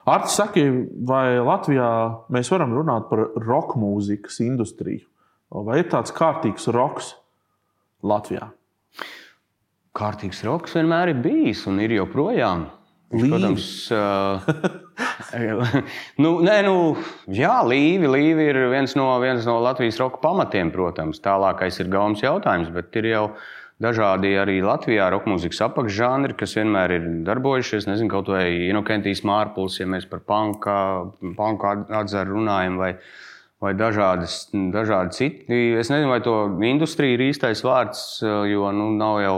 Artis, saki, vai Latvijā mēs varam runāt par roka mūzikas industriju? Vai ir tāds kārtīgs roks Latvijā? Kārtīgs roks vienmēr ir bijis un ir joprojām. Protams, Līvi ir viens no Latvijas roka pamatiem, protams. Tālākais ir gaumas jautājums, bet ir jau dažādi arī Latvijā rokmūzikas apakšžanri, kas vienmēr ir darbojušies. Nezinu, kaut vai Inokentijs Mārpuls, ja mēs par punka atzaru runājam, vai dažādi citi. Es nezinu, vai to industrija ir īstais vārds, jo nav jau,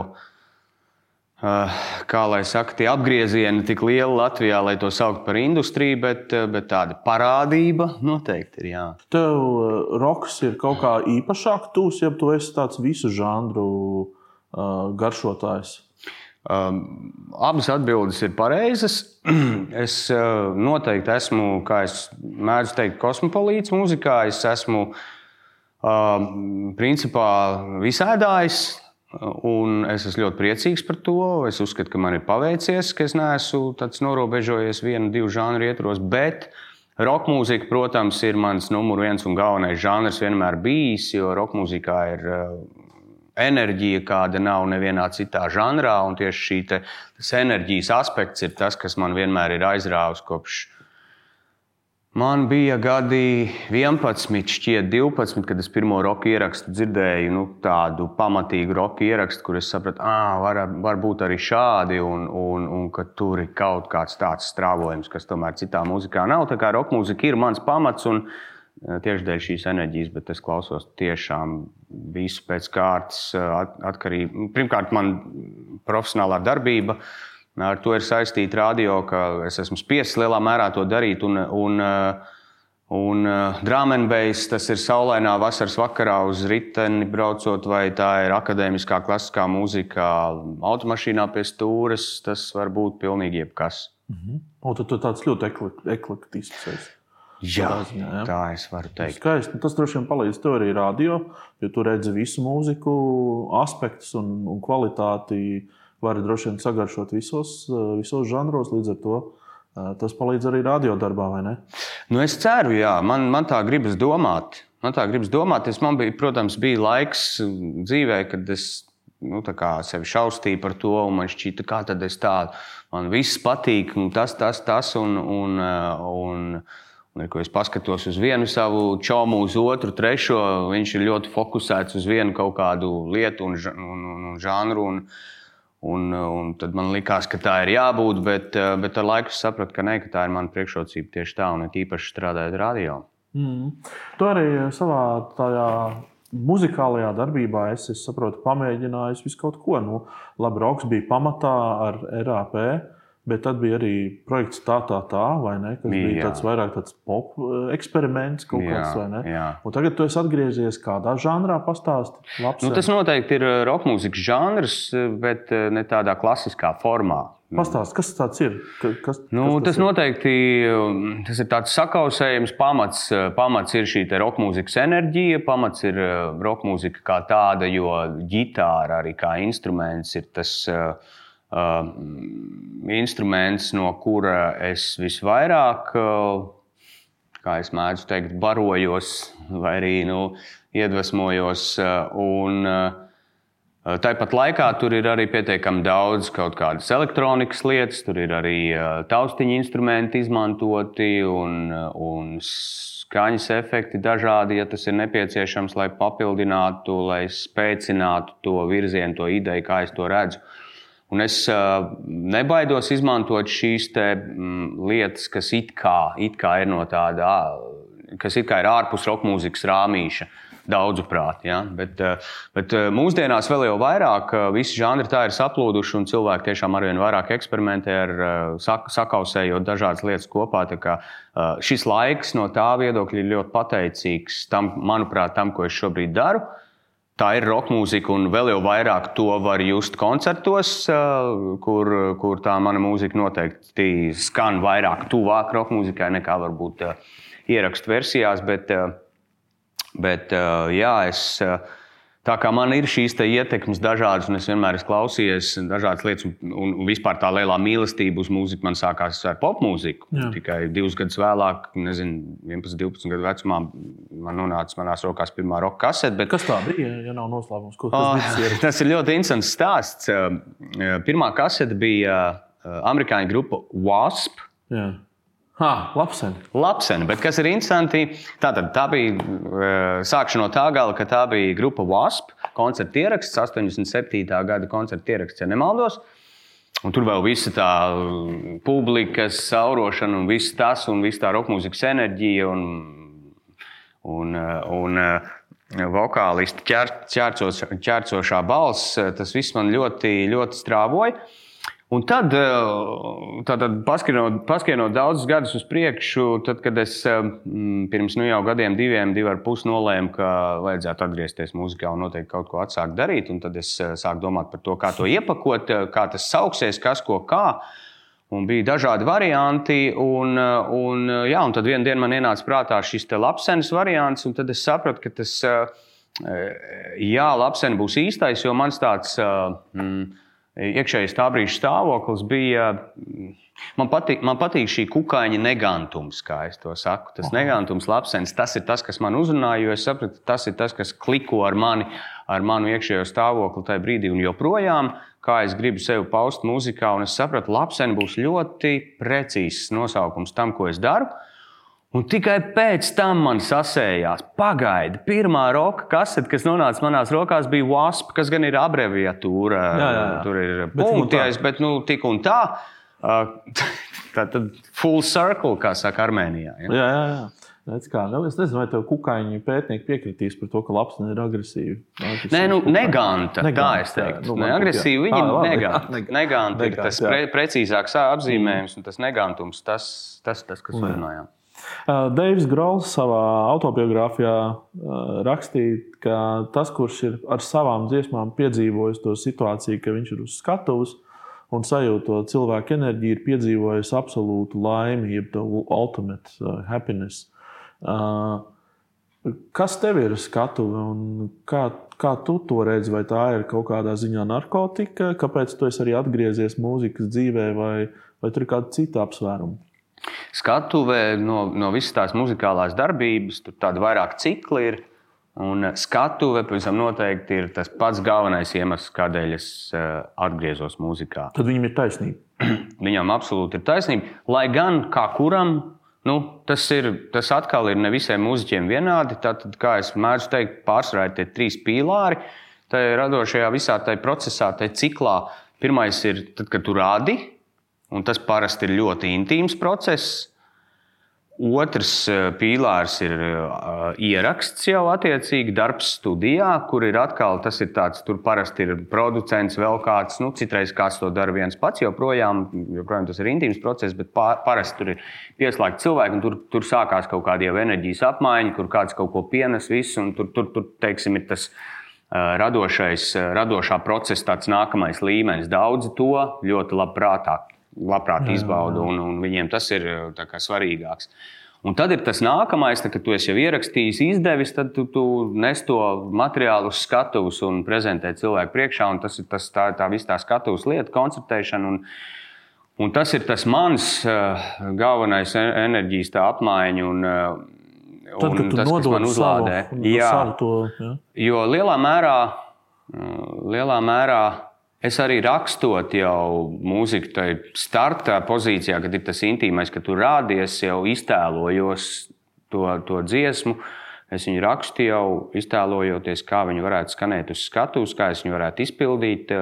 kā lai saka, tie apgriezieni tik lieli Latvijā, lai to saukt par industriju, bet tāda parādība noteikti ir, jā. Tev roks ir kaut kā īpašāk tūs, ja tu esi tāds visu žanru garšotājs? Abas atbildes ir pareizas. Es noteikti esmu, kā es mēdzu teikt, kosmopolīts mūzikā. Es esmu principā visēdājs, un es esmu ļoti priecīgs par to. Es uzskatu, ka man ir paveicies, ka es neesmu tāds norobežojies vienu, divu žanru ietvaros, bet rokmūzika, protams, ir mans numur viens un galvenais žanrs vienmēr bijis, jo rokmūzikā ir enerģija, kāda nav nevienā citā žanrā, un tieši tas enerģijas aspekts ir tas, kas man vienmēr ir aizrāvis kopš man bija gadi 11, šķiet 12, kad es pirmo roka ierakstu dzirdēju, tādu pamatīgu roka ierakstu, kur es sapratu, var būt arī šādi, un ka tur ir kaut kāds tāds strāvojums, kas tomēr citā mūzikā nav. Tā kā rokmūzika ir mans pamats, un tieši dēļ šīs enerģijas, bet es klausos tiešām visu pēc kārtas atkarību. Pirmkārt, man profesionālā darbība ar to ir saistīta radio, ka es esmu spiests lielā mērā to darīt, un drum and bass, tas ir saulainā vasaras vakarā uz riteni braucot, vai tā ir akadēmiskā klasiskā mūzika automašīnā pie stūres, tas var būt pilnīgi jebkas. Un tad tu tāds ļoti eklektisks esi. Jā, tā es varu teikt. Skaisti. Tas droši vien palīdz tev arī radio, jo tu redzi visu mūziku aspektus un kvalitāti vari droši vien sagaršot visos žanros, līdz ar to tas palīdz arī radio darbā, vai ne? Es ceru, jā. Man tā gribas domāt. Man bija, protams, laiks dzīvē, kad es sevi šaustīju par to, un man šķita, kā tad es tādu. Man viss patīk, un tas, un ko es paskatos uz vienu savu čomu, uz otru, trešo, viņš ir ļoti fokusēts uz vienu kaut kādu lietu un žanru, un tad man likās, ka tā ir jābūt, bet ar laiku es sapratu, ka tā ir mana priekšrocība tieši tā, un īpaši strādājot radio. Tu arī savā tajā muzikālajā darbībā es saprotu, pamēģinājis visu kaut ko. Labi, roks bija pamatā ar RAP, bet tad bija arī projekts tā, vai ne? Kas bija vairāk tāds pop eksperiments kaut kāds, vai ne? Jā. Un tagad tu esi atgriezies kādā žanrā, pastāsti? Tas noteikti ir rokmūzikas žanrs, bet ne tādā klasiskā formā. Pastāsti, kas tāds ir? Tas noteikti tas ir tāds sakausējums. Pamats ir šī rokmūzikas enerģija, pamats ir rokmūzika kā tāda, jo ģitāra arī kā instruments ir tas instruments, no kura es visvairāk, kā es mēdzu teikt, barojos vai arī iedvesmojos. Un tāpat laikā tur ir arī pietiekami daudz kaut kādas elektronikas lietas, tur ir arī taustiņu instrumenti izmantoti un skaņas efekti dažādi, ja tas ir nepieciešams, lai papildinātu, lai spēcinātu to virzienu, to ideju, kā es to redzu. Un es nebaidos izmantot šīs lietas, kas it kā ir no tāda, kas it kā ir ārpus rokmūzikas rāmīša, daudzuprāt. Ja? Bet mūsdienās vēl jau vairāk visi žanri tā ir saplūduši, un cilvēki tiešām arvien vairāk eksperimentē ar sakausējot dažādas lietas kopā. Tā kā šis laiks no tā viedokļa ir ļoti pateicīgs manuprāt, tam, ko es šobrīd daru. Tā ir rokmūzika, un vēl jau vairāk to var just koncertos, kur tā mana mūzika noteikti skan vairāk tuvāk rokmūzikai nekā varbūt ierakstu versijās, bet jā, es Tā kā man ir šīs ietekmes dažādas, un es vienmēr esmu klausījies dažādas lietas, un vispār tā lielā mīlestība uz mūziku man sākās ar popmūziku. Tikai 2 gadus vēlāk, 11, 12 gadu vecumā, man nonāca manās rokās pirmā roka kasete. Bet... Kas tā bija, ja nav noslēpums? Tas ir ļoti interesants stāsts. Pirmā kasete bija amerikāņu grupa Wasp. Jā. Lapseni, bet kas ir interesanti, tā bija sākšu no tā gala, ka tā bija grupa Wasp, koncerta ieraksts, 87. gada koncerta ieraksts, ja nemaldos. Un tur vēl visa tā publikas saurošana un viss tas, un viss tā rokmūzikas enerģija un vokālisti ķērcošā balss, tas viss man ļoti, ļoti strāvoja. Un tad paskrienot daudzus gadus uz priekšu, tad, kad es pirms jau gadiem 2,5 nolēmu, ka vajadzētu atgriezties mūzikā un noteikti kaut ko atsākt darīt, un tad es sāku domāt par to, kā to iepakot, kā tas sauksies, kas ko kā. Un bija dažādi varianti, un tad vienu dienu man ienāca prātā šis te Lapsenes variants, un tad es sapratu, ka tas, Lapsene būs īstais, jo mans tāds... iekšējais tā brīža stāvoklis bija, man patīk šī kukaiņa negantums, kā es to saku. Tas negantums, Lapsenes, tas ir tas, kas man uzrunāja, jo es sapratu, tas ir tas, kas kliko ar manu iekšējo stāvokli tajā brīdī un joprojām, kā es gribu sevi paust mūzikā, un es sapratu, Lapsene būs ļoti precīzs nosaukums tam, ko es daru. Un tikai pēc tam man sasējās, pagaidi, pirmā roka kasete, kas nonāca manās rokās, bija Wasp, kas gan ir abreviatūra. Jā. Tur ir punkties, bet tik un tā. Tad full circle, kā saka Armēnijā. Jā. Es nezinu, vai tev kukaiņu pētnieki piekritīs par to, ka Lapsene ir agresīva. Nē, neganta, tā es teiktu. Agresīva viņa neganta ir tas precīzāks apzīmējums, un tas negantums, tas kas runājām. Deivs Grols savā autobiogrāfijā rakstīja, ka tas, kurš ir ar savām dziesmām piedzīvojis to situāciju, ka viņš ir uz skatuves un sajūt to cilvēku enerģiju, ir piedzīvojis absolūtu laimi, jeb the ultimate happiness. Kas tev ir skatuve un kā tu to redzi? Vai tā ir kaut kādā ziņā narkotika? Kāpēc tu esi arī atgriezies mūzikas dzīvē vai tur ir kāda cita apsvēruma? Skatuve no visas tās muzikālās darbības, tur tāda vairāk cikli ir. Un skatuve, pavisam noteikti, ir tas pats galvenais iemesls, kādēļ es atgriezos mūzikā. Tad viņam ir taisnība. Viņam absolūti ir taisnība. Lai gan kā kuram, tas atkal ir ne visiem mūziķiem vienādi. Tātad, kā es mēdzu teikt, pārsvarā ir tie 3 pīlāri. Tā radošajā visā tajā procesā, tajā ciklā. Pirmais ir tad, kad tu rādi. Un tas parasti ir ļoti intīms process. Otrs pīlārs ir ieraksts jau attiecīgi, darbs studijā, kur ir atkal, tas ir tāds, tur parasti ir producents, vēl kāds, citreiz kāds to dara viens pats, joprojām tas ir intīms process, bet parasti tur ir pieslēgti cilvēki, un tur sākās kaut kāda jau enerģijas apmaiņa, kur kāds kaut ko pienes visu, un tur teiksim, ir tas radošā procesa tāds nākamais līmenis. Daudzi to ļoti labprāt izbauda, un viņiem tas ir tā kā svarīgāks. Un tad ir tas nākamais, kad tu esi jau ierakstījis, izdevis, tad tu nes to materiālu uz skatuves un prezentē cilvēku priekšā, un tas ir tā visa tā skatuves lieta, koncertēšana, un tas ir tas mans galvenais enerģijas tā apmaiņa, un tad, kad tu tas, kas man uzlādē. Jo lielā mērā es arī rakstot jau mūziku tajā starta pozīcijā, kad ir tas intīmais, ka tu rādies, jau iztēlojos to dziesmu. Es viņu rakstu jau iztēlojoties, kā viņi varētu skanēt uz skatuves, kā es viņu varētu izpildīt.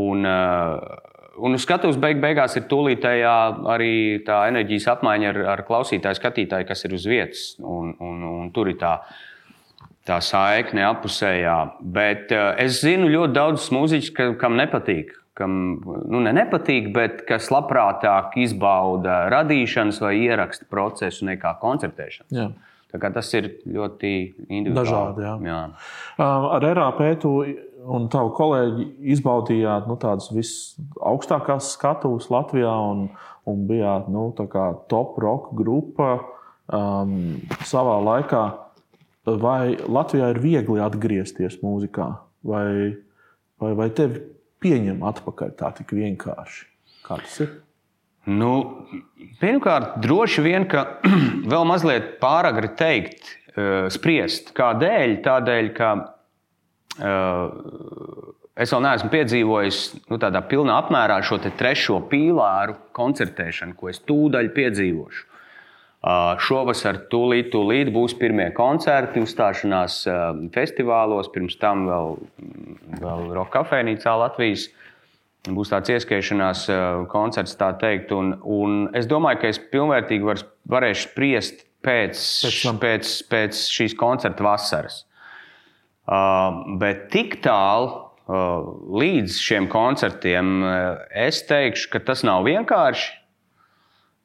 Un uz skatuves beigās ir tūlītējā arī tā enerģijas apmaiņa ar klausītāju, skatītāju, kas ir uz vietas. Un tur ir tā saikne apusējā, bet es zinu ļoti daudz mūziķus, kam nepatīk, nepatīk, bet kas labprātāk izbauda radīšanas vai ieraksta procesu nekā koncertēšanas. Jā. Tā kā tas ir ļoti individuāli. Dažādi, jā. Ar RAP tu un tavu kolēģi izbaudījāt tādas visaugstākās skatuves Latvijā un bijāt tā kā top rock grupa savā laikā. vai Latvijā ir viegli atgriezties mūzikā, vai tevi pieņem atpakaļ tā tik vienkārši? Kā tas ir? Nu, pirmkārt, droši vien, ka vēl mazliet pāragri teikt, spriest. Kādēļ? Tādēļ, ka es vēl neesmu piedzīvojis tādā pilnā apmērā šo trešo pīlāru koncertēšanu, ko es tūdaļ piedzīvošu. Šovasar tūlīt būs pirmie koncerti, uzstāšanās festivālos, pirms tam vēl Rock kafejnīcā Latvijas. Būs tāds ieskaišanās koncerts, tā teikt, un es domāju, ka es pilnvērtīgi varēšu spriest pēc šīs koncerta vasaras. Bet tik tālu līdz šiem koncertiem es teikšu, ka tas nav vienkārši.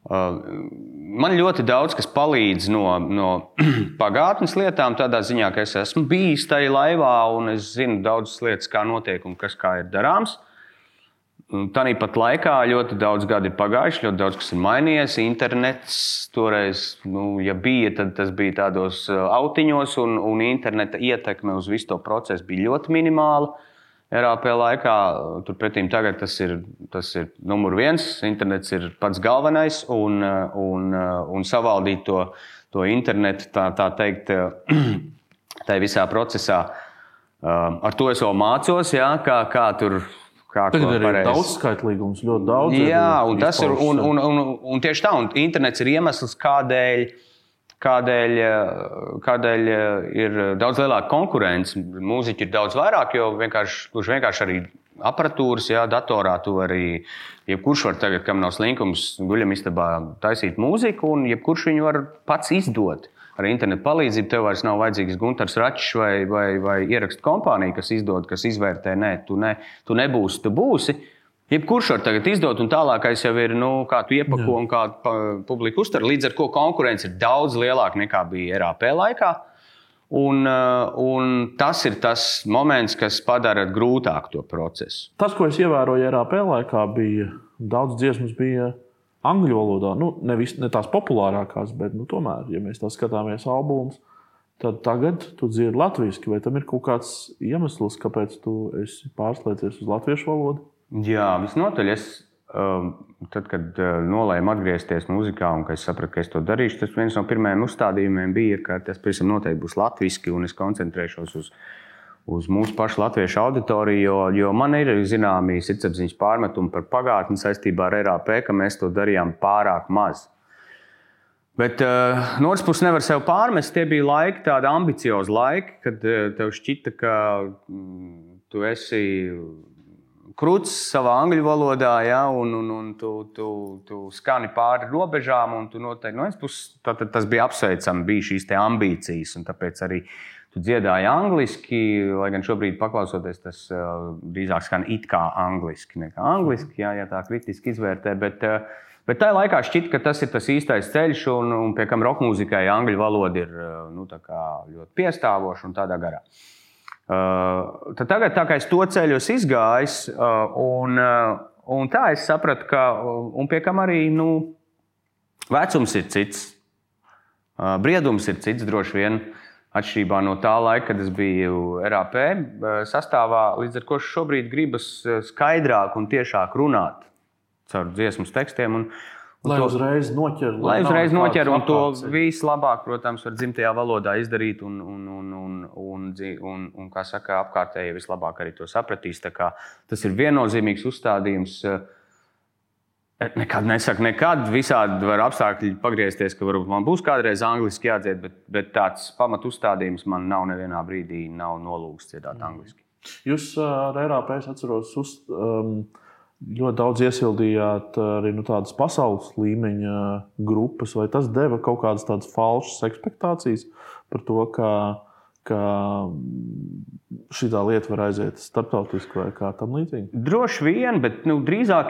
Man ļoti daudz kas palīdz no pagātnes lietām, tādā ziņā, ka es esmu bijis tajā laivā un es zinu daudzas lietas, kā notiek un kā ir darāms. Tāpat laikā ļoti daudz gadi ir pagājuši, ļoti daudz kas ir mainījies. Internets toreiz, ja bija, tad tas bija tādos autiņos, un interneta ietekme uz visu to procesu bija ļoti minimāla. RAP laikā, turpretīm tagad tas ir numur 1, internets ir pats galvenais, un savaldīt to internetu, tā teikt, tai visā procesā. Ar to es vēl mācos, jā, kā tur. Tagad ir daudzskaitlīgums, ļoti daudz. Jā, un tas ir, un tieši tā, un internets ir iemesls, kādēļ ir daudz lielāka konkurence. Mūziķi ir daudz vairāk, jo vienkārši arī aparatūras, jā, datorā tu arī, jebkurš var tagad, kam nav slinkums, guļamistabā taisīt mūziku, un jebkurš viņu var pats izdot. Ar internetu palīdzību tev vairs nav vajadzīgs Guntars Račs vai ierakstu kompānija, kas izdod, kas izvērtē. Nē, tu nebūsi, tu būsi. Jebkurš var tagad izdot, un tālākais jau ir, kā tu iepako un kā publika uztver. Līdz ar ko konkurence ir daudz lielāka nekā bija RAP laikā. Un tas ir tas moments, kas padara grūtāku to procesu. Tas, ko es ievēroju RAP laikā, bija daudz dziesmas bija angļu valodā. Ne tās populārākās, bet tomēr, ja mēs tā skatāmies albumus, tad tagad tu dzirdi latviski. Vai tam ir kaut kāds iemesls, kāpēc tu esi pārslēdzies uz latviešu valodu? Jā, visnotaļ. Tad, kad nolēmu atgriezties mūzikā un es sapratu, ka es to darīšu, tas viens no pirmajiem uzstādījumiem bija, ka tas pavisam noteikti būs latviski un es koncentrēšos uz mūsu pašu latviešu auditoriju, jo man ir zināmi sirdsapziņas pārmetumi par pagātni saistībā ar RAP, ka mēs to darījām pārāk maz. Bet no otras puses nevar sev pārmest, tie bija laiki, tādi ambiciozi laiki, kad tev šķita, ka tu esi kruts savā angļu valodā, ja, un tu skani pāri robežām, un tu noteikti no vienas puses tas bija apsveicami, bija šīs te ambīcijas, un tāpēc arī tu dziedāji angliski, lai gan šobrīd paklausoties, tas drīzāk skan it kā angliski, nekā angliski, ja tā kritiski izvērtē, bet tajā laikā šķita, ka tas ir tas īstais ceļš, un pie kam rockmūzikai angļu valoda ir tā kā ļoti piestāvoša un tādā garā. Tad tagad tā kā es to ceļu izgājis, un tā es sapratu, ka, un pie kam arī, vecums ir cits, briedums ir cits droši vien, atšķirībā no tā laika, kad es biju RAP sastāvā, līdz ar ko šobrīd gribas skaidrāk un tiešāk runāt caur dziesmas tekstiem. Lai uzreiz noķer. Lai uzreiz noķer, un to vislabāk, protams, var dzimtajā valodā izdarīt, un kā saka, apkārtēji vislabāk arī to sapratīs. Tā kā tas ir viennozīmīgs uzstādījums. Nekad nesaku, nekad visādi var apstākļi pagriezties, ka varbūt man būs kādreiz angliski jādzied, bet tāds pamat uzstādījums man nav nevienā brīdī nav nolūgts dziedāt angliski. Jūs ar RAP, es atceros, ļoti daudz iesildījāt arī tādas pasaules līmeņa grupas, vai tas deva kaut kādas tādas falšas ekspektācijas par to, ka šitā lieta var aiziet starptautiski vai kā tam līdzīgi? Droši vien, bet drīzāk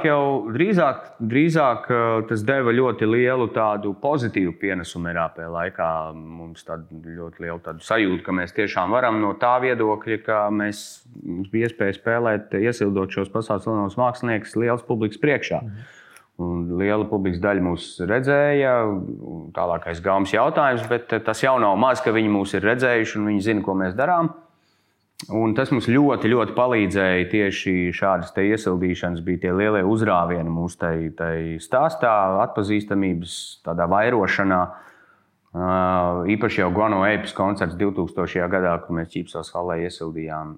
tas deva ļoti lielu tādu pozitīvu pienesumu RAP laikā. Mums ļoti lielu tādu sajūtu, ka mēs tiešām varam no tā viedokļa, ka mums bija iespēja spēlēt, iesildot šos pasaules lielos māksliniekus liels publikas priekšā. Un liela publikas daļa mūs redzēja. Tālākais gaumas jautājums, bet tas jau nav maz, ka viņi mūs ir redzējuši un viņi zina, ko mēs darām. Un tas mums ļoti, ļoti palīdzēja tieši šādas te iesildīšanas, bija tie lielie uzrāvieni mūsu tai stāstā, atpazīstamības, tādā vairošanā. Īpaši jau Guano Apes koncerts 2000. Gadā, kur mēs Ķīpsels hallē iesildījām.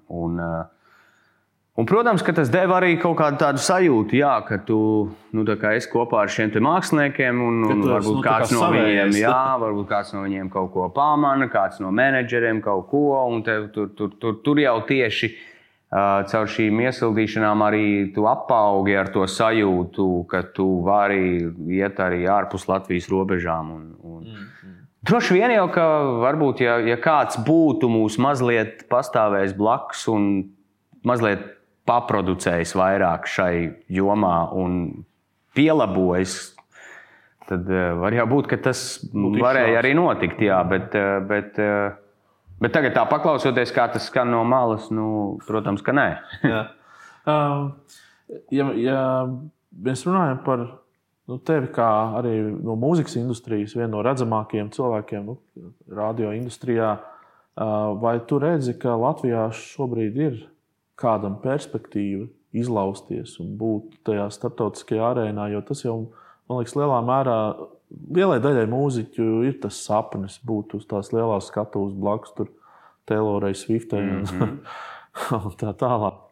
Un, protams, ka tas deva arī kaut kādu tādu sajūtu, jā, ka tu tā kā esi kopā ar šiem te māksliniekiem un varbūt kāds no viņiem, varbūt kāds no viņiem kaut ko pamana, kāds no menedžeriem kaut ko, un tur jau tieši caur šīm iesildīšanām arī tu apaugi ar to sajūtu, ka tu vari iet arī ārpus Latvijas robežām. Droši vien jau, ka varbūt, ja kāds būtu mūs mazliet pastāvējis blakus un mazliet paproducējis vairāk šai jomā un pielabojis, tad var jau būt, ka tas varēja arī notikt, jā, bet tagad tā paklausoties, kā tas skan no malas, protams, ka nē. Ja mēs runājam par tevi kā arī no mūzikas industrijas, vienu no redzamākajiem cilvēkiem radio industrijā, vai tu redzi, ka Latvijā šobrīd ir kādam perspektīva izlausties un būt tajā starptautiskajā arēnā, jo tas jau, man liekas, lielā mērā, lielai daļai mūziķu ir tas sapnis būt uz tās lielās skatuves blakus tur Taylorai Swiftei un tā tālāk.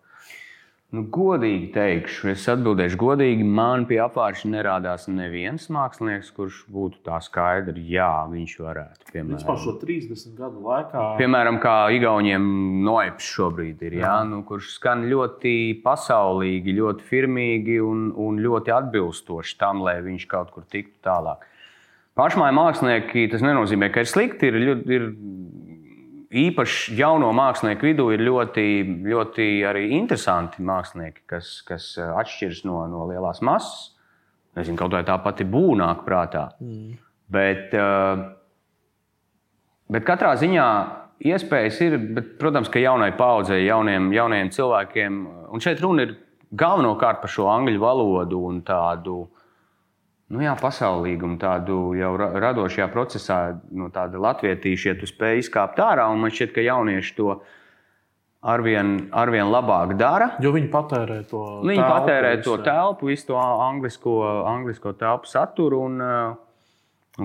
Godīgi teikšu, es atbildēšu godīgi, man pie apvāršņa nerādās neviens mākslinieks, kurš būtu tā skaidri, jā, viņš varētu. Piemēram, vispār šo 30 gadu laikā. Piemēram, kā Igauniem Noips šobrīd ir, kurš skan ļoti pasaulīgi, ļoti firmīgi un ļoti atbilstoši tam, lai viņš kaut kur tiktu tālāk. Pašmāju mākslinieki, tas nenozīmē, ka ir slikti, ir īpaši jauno mākslinieku vidū ir ļoti, ļoti arī interesanti mākslinieki, kas atšķiras no lielās masas. Nezinu, kaut vai tā pati būnāk prātā. Bet katrā ziņā iespējas ir, bet, protams, ka jaunai paudzei, jauniem cilvēkiem, un šeit runa ir galvenokārt par šo angļu valodu un tādu pasaulīgumu, tādu jau radošajā procesā, tāda latvietīša, ja tu spēj izkāpt ārā, un man šķiet, ka jaunieši to arvien labāk dara. Jo viņi patērē to telpu. Viņi patērē to telpu, visu to anglisko telpu saturu, un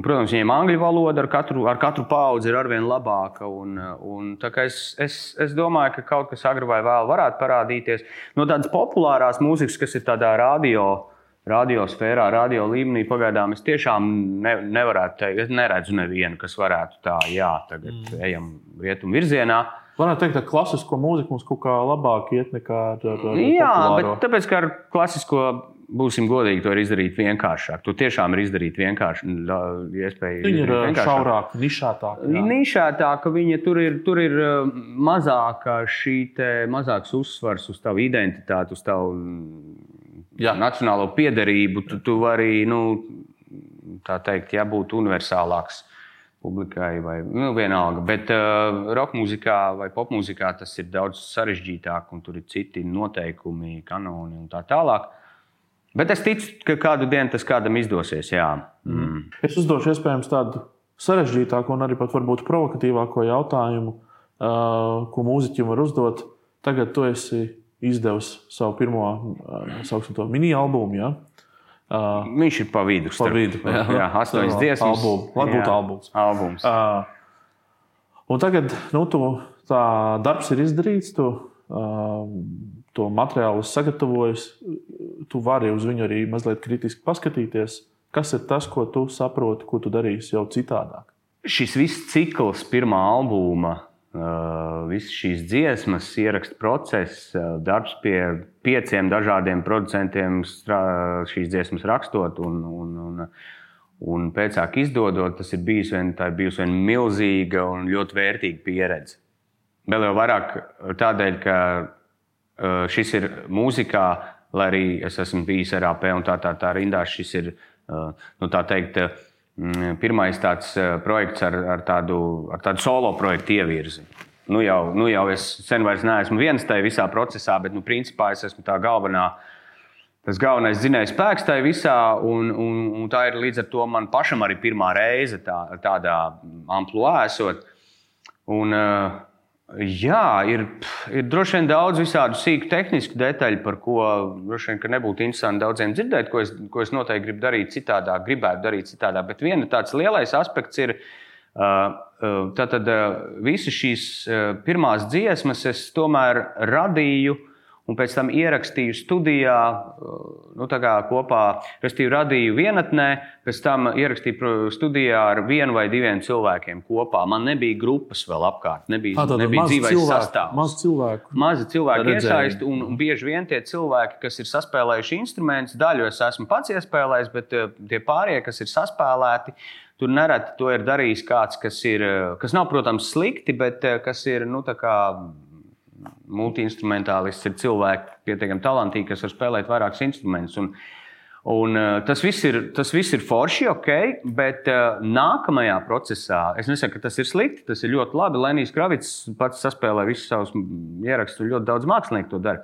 protams, viņiem angļu valoda ar katru paudzi ir arvien labāka, un tā kā es domāju, ka kaut kas agri vai vēl varētu parādīties. No tādas populārās mūzikas, kas ir tādā radiosfērā, radio līmenī, pagaidām es tiešām nevarētu teikt, es neredzu nevienu, kas varētu tā, tagad ejam rietumu virzienā. Varētu teikt, ka klasisko mūziku mums kaut kā labāk iet nekā ar populāro. Jā, bet tāpēc, ka ar klasisko, būsim godīgi, to ir izdarīt vienkāršāk. To tiešām ir izdarīt vienkārši. Viņa ir šaurāka, nišētāka. Nišētāka, viņa tur ir mazāks uzsvars uz tavu identitāti, uz tavu nacionālo piederību. Tu vari, tā teikt, būt universālāks publikai vai vienalga. Bet rockmūzikā vai popmūzikā tas ir daudz sarežģītāk un tur ir citi noteikumi, kanoni un tā tālāk. Bet es ticu, ka kādu dienu tas kādam izdosies, jā. Es uzdošu iespējams tādu sarežģītāku un arī pat varbūt provokatīvāko jautājumu, ko mūziķim var uzdot. Tagad tu esi izdevis savu pirmo, sauksim to, mini-albumu, jā? Viņš ir pa vidu. Jā, 8 dziesmas. Lai būtu albums. Un tagad, tā darbs ir izdarīts, to materiālu sagatavojas, tu vari uz viņu arī mazliet kritiski paskatīties. Kas ir tas, ko tu saproti, ko tu darīsi jau citādāk? Šis viss cikls pirmā albuma, visas šīs dziesmas, ieraksta process, darbs pie 5 dažādiem producentiem šīs dziesmas rakstot un pēcāk izdodot, tas ir bijusi vien milzīga un ļoti vērtīga pieredze. Vēl jau vairāk tādēļ, ka šis ir mūzikā, lai arī es esmu bijis RAP un tā rindās, šis ir, tā teikt, pirmais tāds projekts ar tādu solo projektu ievirzi. Jau es sen vairs neesmu viens tajā visā procesā, bet principā es esmu tā galvenā tas galvenais dzinējs spēks tajā visā, un tā ir līdz ar to man pašam arī pirmā reize tādā ampluā esot. Un, jā, ir droši vien daudz visādu sīku tehnisku detaļu, par ko droši vien, ka nebūtu interesanti daudziem dzirdēt, ko es noteikti gribu darīt citādāk, gribētu darīt citādāk. Bet viena tāds lielais aspekts ir, tātad visas šīs pirmās dziesmas es tomēr radīju, un pēc tam ierakstīju studijā, kopā, restīvi radīju vienatnē, pēc tam ierakstīju studijā ar 1 vai 2 cilvēkiem kopā. Man nebija grupas vēl apkārt, nebija dzīvais sastāvs. Mazi cilvēki iesaisti, un bieži vien tie cilvēki, kas ir saspēlējuši instrumentus, daļu es esmu pats iespēlējis, bet tie pārējie, kas ir saspēlēti, tur nereti to ir darījis kāds, kas nav, protams, slikti, bet kas ir, multi-instrumentālists, ir cilvēki pietiekami talantīgi, kas var spēlēt vairākus instrumentus. Un tas viss ir forši, ok, bet nākamajā procesā, es nesaku, ka tas ir slikti, tas ir ļoti labi. Lenijs Kravits pats saspēlē visus savus ierakstus, ļoti daudz mākslinieku to dara.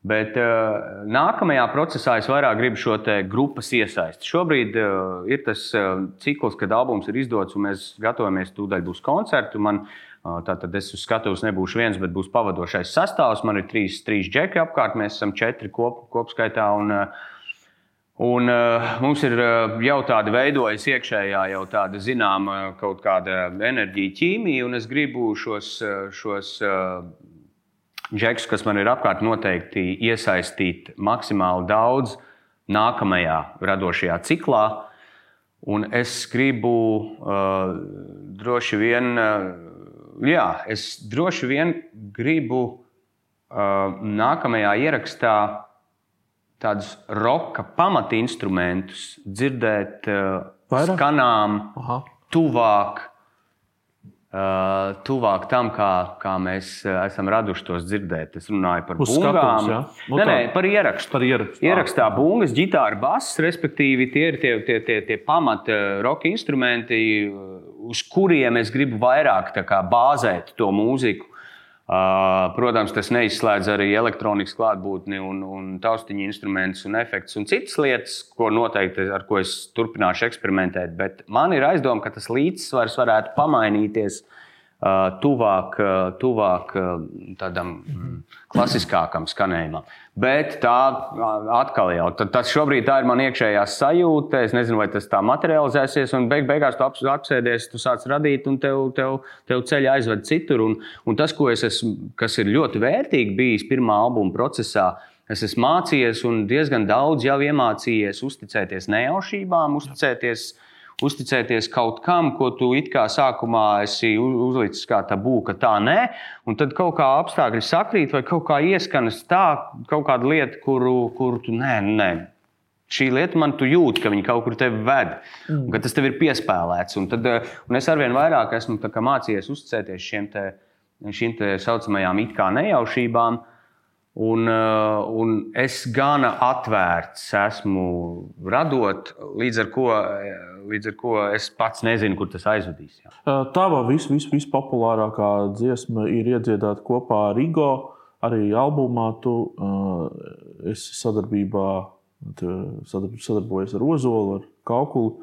Bet nākamajā procesā es vairāk gribu šo te grupas iesaisti. Šobrīd ir tas cikls, kad albums ir izdots, un mēs gatavojamies, tūdaļ būs koncerti. Tātad es uz skatuves nebūšu viens, bet būs pavadošais sastāvs. Man ir 3 džeki apkārt, mēs esam 4 kopskaitā. Un mums ir jau tāda veidojas iekšējā, jau tāda zināma kaut kāda enerģija, ķīmija, un es gribu šos džekus, kas man ir apkārt, noteikti iesaistīt maksimāli daudz nākamajā radošajā ciklā. Un es gribu droši vien gribu nākamajā ierakstā tādus roka pamatinstrumentus dzirdēt skanām tuvāk tam, kā mēs esam raduši tos dzirdēt. Es runāju par bungām. Par ierakstu. Ierakstā bungas, ģitāra, bass, respektīvi tie ir tie pamat roka instrumenti, uz kuriem es gribu vairāk bāzēt to mūziku. Protams, tas neizslēdz arī elektronikas klātbūtni un taustiņu instrumentus un efektus un citas lietas, ar ko es turpināšu eksperimentēt. Bet man ir aizdoma, ka tas līdzsvars varētu pamainīties tuvāk tādam klasiskākam skanējumam. Bet tā atkal jau, tas šobrīd tā ir man iekšējā sajūta, es nezinu, vai tas tā materializēsies, un beigās tu apsēdies, tu sāc radīt, un tev ceļi aizved citur. Un tas, kas ir ļoti vērtīgi bijis pirmā albuma procesā, es esmu mācījies un diezgan daudz jau iemācījies uzticēties nejaušībām, uzticēties kaut kam, ko tu it kā sākumā esi uzlicis kā tabū, ka tā nē, un tad kaut kā apstākļi sakrīt vai kaut kā ieskanas tā, kaut kāda lieta, kuru tu nē. Šī lieta man tu jūti, ka viņa kaut kur tevi ved, un ka tas tev ir piespēlēts. Un es arvien vairāk esmu mācījies uzticēties šīm te saucamajām it kā nejaušībām, un es gana atvērts esmu radot, līdz ar ko es pats nezinu, kur tas aizvedīs. Jā. Tava vispopulārākā dziesma ir iedziedāta kopā ar Igo. Arī albumā tu esi sadarbojies ar Ozolu, ar Kaukuli.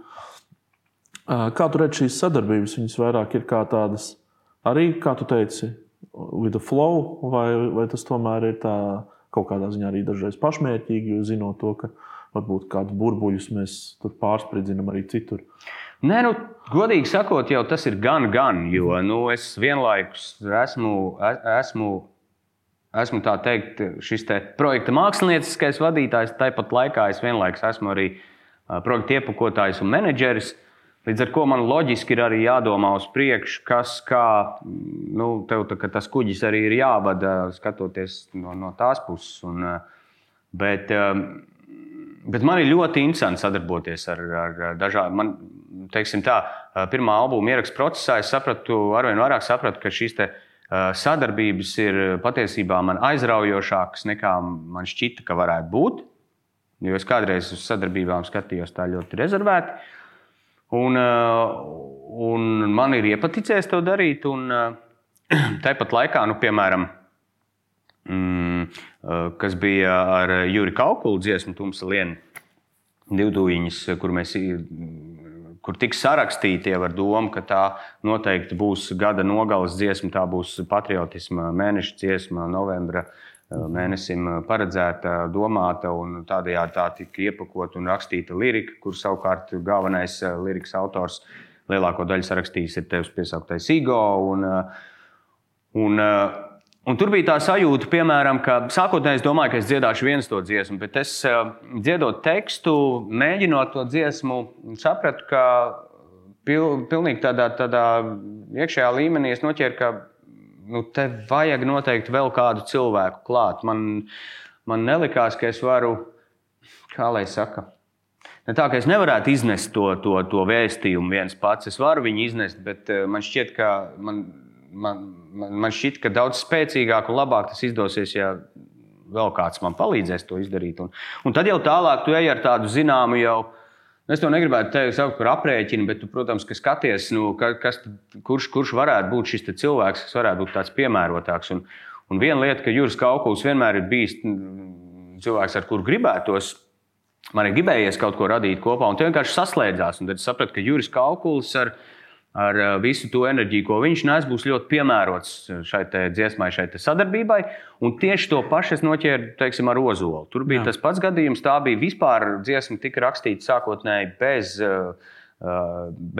Kā tu redzi šīs sadarbības? Viņas vairāk ir kā tādas, arī, kā tu teici, with the flow, vai tas tomēr ir tā kaut kādā ziņā arī dažreiz pašmērķīgi, jo zinot to, ka varbūt kādus burbuļus mēs tur pārspridzinam arī citur. Nē, godīgi sakot, jau tas ir gan, jo es vienlaikus esmu tā teikt šis te projekta mākslinieckais vadītājs, tāpat laikā es vienlaikus esmu arī projekta iepakotājs un menedžeris. Līdz ar to man loģiski ir arī jādomā uz priekšu, tev tas kuģis arī ir jāvada, skatoties no tās puses. Bet man ir ļoti interesanti sadarboties ar dažādiem. Teiksim tā, pirmā albuma ierakstu procesā es arvien vairāk sapratu, ka šīs te sadarbības ir patiesībā man aizraujošākas nekā man šķita, ka varētu būt. Jo es kādreiz uz sadarbībām skatījos tā ļoti rezervēti. Un man ir iepaticējis to darīt. Tāpat laikā, piemēram, kas bija ar Juri Kaukulu dziesmu Tumsa liena, divdūjiņas, kur tiks sarakstīti jau ar domu, ka tā noteikti būs gada nogales dziesma, tā būs patriotisma mēneša dziesma, novembra mēnesim paredzēta, domāta, un tādējādi tā tika iepakota un rakstīta lirika, kur savukārt galvenais lirikas autors lielāko daļu sarakstījis ir Tevs piesauktais Igo. Un tur bija tā sajūta, piemēram, ka sākotnēji es domāju, ka es dziedāšu viens to dziesmu, bet es dziedot tekstu, mēģinot to dziesmu, sapratu, ka pilnīgi tādā iekšējā līmenī es noķēru, ka te vajag noteikti vēl kādu cilvēku klāt. Man nelikās, ka es varu, kā lai saka, ne tā, ka es nevarētu iznest to vēstījumu viens pats. Es varu viņu iznest, bet man šķiet, ka man šķiet, ka daudz spēcīgāk un labāk tas izdosies, ja vēl kāds man palīdzēs to izdarīt. Un tad jau tālāk tu ej ar tādu zināmu jau, es to negribētu tevi saukt par aprēķinu, bet tu, protams, ka skaties, kurš varētu būt šis cilvēks, kas varētu būt tāds piemērotāks. Un viena lieta, ka Juris Kaukuls vienmēr ir bijis cilvēks, ar kuru gribētos, man ir gribējies kaut ko radīt kopā, un te vienkārši saslēdzās. Un tad es sapratu, ka Juris Kaukuls ar visu to enerģiju, ko viņš nes, būs ļoti piemērots šai dziesmai, šai sadarbībai. Un tieši to pašu es noķēru, teiksim, ar Ozolu. Tur bija tas pats gadījums, tā bija vispār dziesma tika rakstīta sākotnēji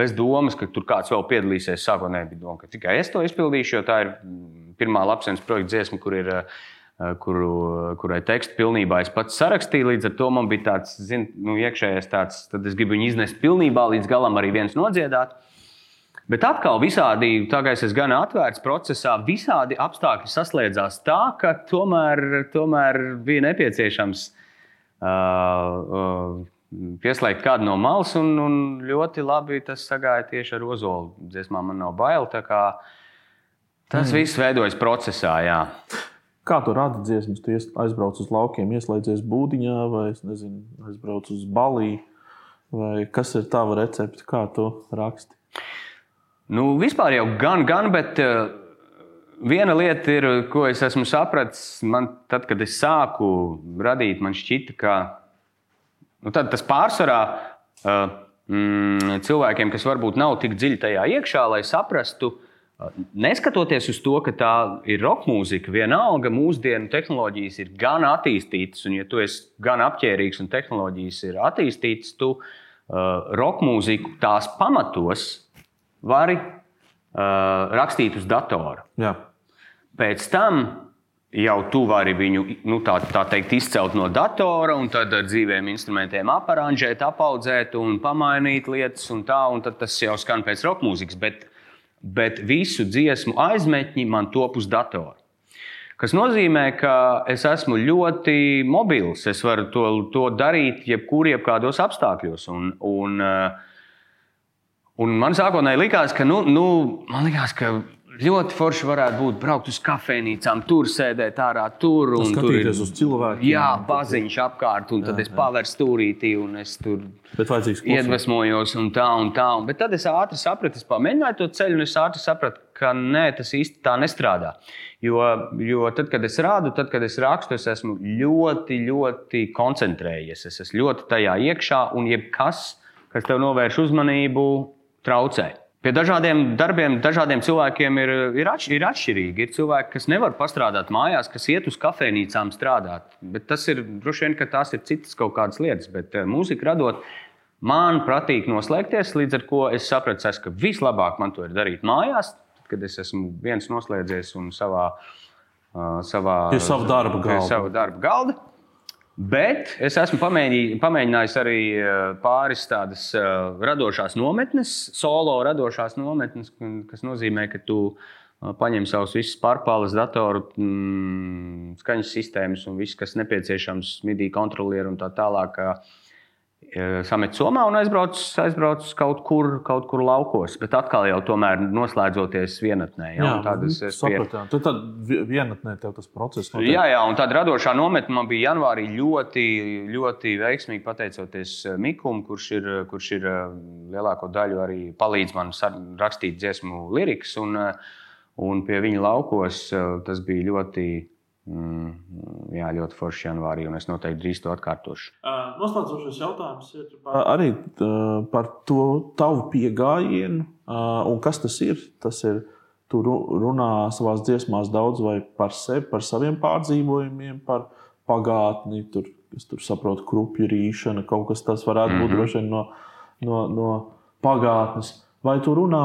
bez domas, ka tur kāds vēl piedalīsies. Sākotnēji bija doma, ka tikai es to izpildīšu, jo tā ir pirmā Lapsens projekta dziesma, kurai tekstu pilnībā es pats sarakstīju. Līdz ar to man bija tāds, iekšējais tāds, tad es gribu viņu iznest pilnībā līdz galam arī viens nodziedāt. Bet atkal visādi, tā kā es esmu gan atvērts procesā, visādi apstākļi saslēdzās tā, ka tomēr bija nepieciešams pieslēgt kādu no malas, un ļoti labi tas sagāja tieši ar Ozolu dziesmā Man nav bail. Tā kā tas viss veidojas procesā, jā. Kā tu radi dziesmas? Tu aizbrauc uz laukiem, ieslēdzies būdiņā, vai aizbrauc uz balī, vai kas ir tava recepte, kā tu raksti? Vispār jau gan, bet viena lieta ir, ko es esmu sapratis, tad, kad es sāku radīt, man šķita, ka tad tas pārsvarā cilvēkiem, kas varbūt nav tik dziļi tajā iekšā, lai saprastu, neskatoties uz to, ka tā ir rokmūzika, vienalga mūsdienu tehnoloģijas ir gan attīstītas, un ja tu esi gan apķērīgs un tehnoloģijas ir attīstītas, tu rokmūziku tās pamatos vari rakstīt uz datora. Jā. Pēc tam jau tu vari viņu tā teikt izcelt no datora un tad ar dzīviem instrumentiem aparanžēt, apaudzēt un pamainīt lietas un tad tas jau skan pēc rokmūzikas, bet visu dziesmu aizmetņi man top uz datora. Kas nozīmē, ka es esmu ļoti mobils. Es varu to darīt jebkādos apstākļos. Un man sākotnēji likās, ka, ka ļoti forši varētu būt braukt uz kafejnīcām, tur sēdēt ārā, tur un skatīties uz cilvēkiem. Jā, baziņš apkārt, un tad es paveru stūrītī, un es tur iedvesmojos un tā. Bet tad es ātri sapratu, es pamēģināju to ceļu, un es ātri sapratu, ka nē, tas īsti tā nestrādā. Jo tad, kad es rādu, tad, kad es rakstu, es esmu ļoti, ļoti koncentrējies. Es esmu ļoti tajā iekšā, un jebkas, kas tev novērš uzmanību, traucē. Pie dažādiem darbiem, dažādiem cilvēkiem ir atšķirīgi. Ir cilvēki, kas nevar pastrādāt mājās, kas iet uz kafejnīcām strādāt. Bet tas ir droši vien, ka tās ir citas kaut kādas lietas. Bet mūziku radot, man patīk noslēgties, līdz ar ko es sapratu, ka vislabāk man to ir darīt mājās, kad es esmu viens noslēdzies un savā pie savu darba galda. Bet es esmu pamēģinājis arī pāris tādas radošās nometnes, solo radošās nometnes, kas nozīmē, ka tu paņem savus visus pārpāles datoru, skaņas sistēmas un viss, kas nepieciešams, MIDI kontrolieri un tā tālāk, samet somā un aizbrauc kaut kur laukos. Bet atkal jau tomēr noslēdzoties vienatnē. Tad vienatnē tev tas process notiek. Jā, un tāda radošā nometne man bija janvārī ļoti, ļoti veiksmīgi pateicoties Mikum, kurš ir lielāko daļu arī palīdz man rakstīt dziesmu lirikas. Un pie viņa laukos tas bija ļoti Jā, ļoti forši janvārī, un es noteikti drīz to atkārtošu. Noslēdzošais jautājums ir arī par to tavu piegājienu. Un kas tas ir? Tas ir, tu runā savās dziesmās daudz vai par sevi, par saviem pārdzīvojumiem, par pagātni, es tur saprotu, krupju rīšana, kaut kas tas varētu būt droši vien no pagātnes. Vai tu runā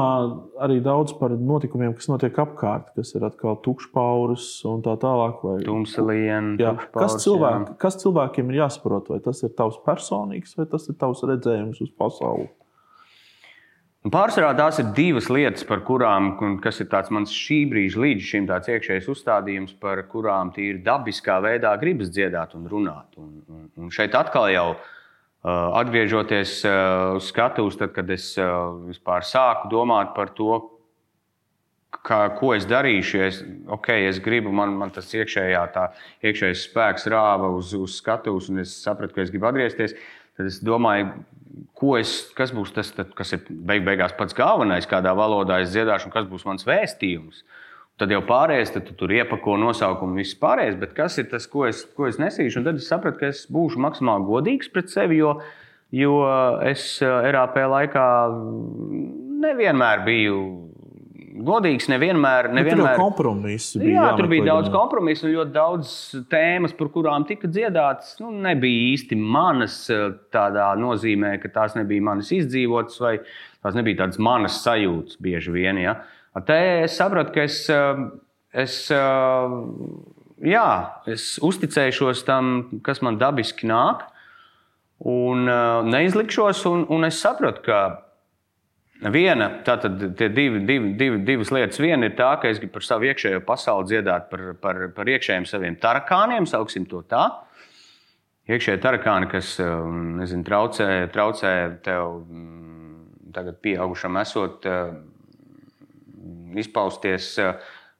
arī daudz par notikumiem, kas notiek apkārt, kas ir atkal tukšpauris un tā tālāk? Tumsaliena, kas cilvēkiem ir jāsaprot? Vai tas ir tavs personīgs, vai tas ir tavs redzējums uz pasauli? Pārsvarā tās ir divas lietas, par kurām, kas ir tāds mans šī brīža līdz šim tāds iekšējs uzstādījums, par kurām tīri dabiskā veidā gribas dziedāt un runāt. Un šeit atkal jau atgriežoties uz skatuves, tad, kad es vispār sāku domāt par to, ko es darīšu, es gribu, man tas iekšējais spēks rāva uz skatuves, un es sapratu, ka es gribu atgriezties, tad es domāju, kas būs tas, kas ir beigās pats galvenais, kādā valodā es dziedāšu, un kas būs mans vēstījums. Tad jau pārējais, tad tu tur iepako nosaukumu viss pārējais, bet kas ir tas, ko es nesīšu? Un tad es sapratu, ka es būšu maksimāli godīgs pret sevi, jo es RAP laikā nevienmēr biju godīgs, nevienmēr. Tur jau kompromisi bija. Jā, tur bija daudz kompromisu un ļoti daudz tēmas, par kurām tika dziedātas, nebija īsti manas tādā nozīmē, ka tās nebija manas izdzīvotas vai tās nebija tādas manas sajūtas bieži vien, ja. Te es sapratu, ka es uzticēšos tam, kas man dabiski nāk, un neizlikšos, un es sapratu, ka divas lietas. Viena ir tā, ka es gribu par savu iekšējo pasauli dziedāt par iekšējiem saviem tarakāniem, sauksim to tā. Iekšējie tarakāni, kas, traucē tev tagad pieaugušam esot izpausties.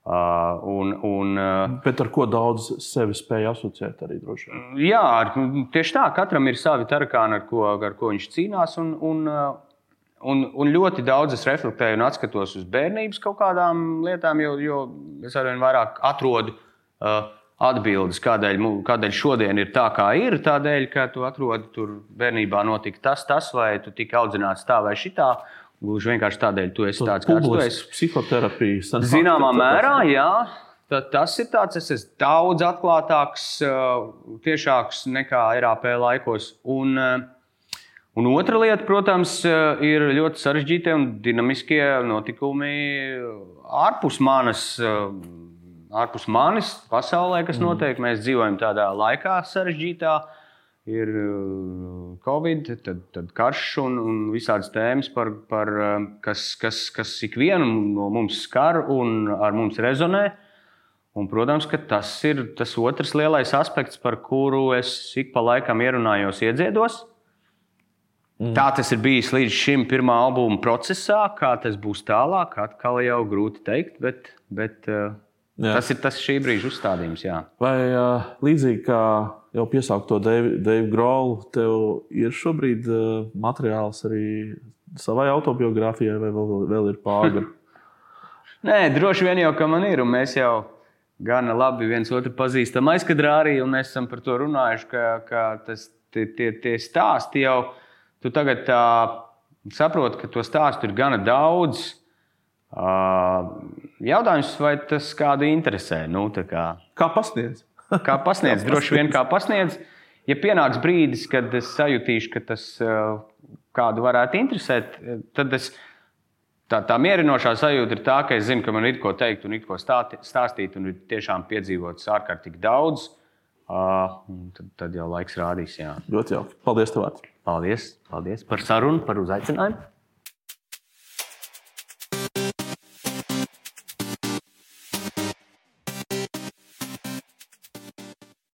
Bet ar ko daudz sevi spēja asociēt arī droši vien? Jā, tieši tā. Katram ir savi tarakāni, ar ko viņš cīnās. Un ļoti daudz es reflektēju un atskatos uz bērnības kaut kādām lietām, jo es arvien vairāk atrodu atbildes, kādēļ šodien ir tā, kā ir. Tādēļ, ka tu atrodi tur bērnībā notika tas, vai tu tika audzināts tā vai šitā. Gluži vienkārši tādēļ, tu esi tāds, kāds tu esi. Psihoterapija. Zināmā mērā, jā. Tas ir tāds, es esmu daudz atklātāks, tiešāks nekā RAP laikos. Un otra lieta, protams, ir ļoti sarežģītie un dinamiskie notikumi ārpus manis pasaulē, kas notiek. Mēs dzīvojam tādā laikā sarežģītā. Ir Covid, tad karš un visādas tēmas, kas ikvienu no mums skar un ar mums rezonē. Un, protams, ka tas ir tas otrs lielais aspekts, par kuru es ik pa laikam ierunājos, iedziedos. Tā tas ir bijis līdz šim pirmā albuma procesā. Kā tas būs tālāk, atkal jau grūti teikt, bet tas ir tas šī brīža uzstādījums. Jā. Vai līdzīgi kā jau piesaukto Dave Grohl, tev ir šobrīd materiāls arī savai autobiogrāfijai, vai vēl ir pāri? Nē, droši vien jau, ka man ir, un mēs jau gana labi viens otru pazīstam aizkadrā arī, un mēs esam par to runājuši, ka tie stāsti jau, tu tagad saproti, ka to stāstu ir gana daudz. Jautājums, vai tas kādu interesē? Kā pasniedz? Kā pasniedz, droši vien kā pasniedz. Ja pienāks brīdis, kad es sajutīšu, ka tas kādu varētu interesēt, tad tā mierinošā sajūta ir tā, ka es zinu, ka man ir ko teikt un ir ko stāstīt un ir tiešām piedzīvots ārkārtīgi daudz. Tad jau laiks rādīs. Jā. Ļoti jauki. Paldies tev. Paldies par sarunu, par uzaicinājumu.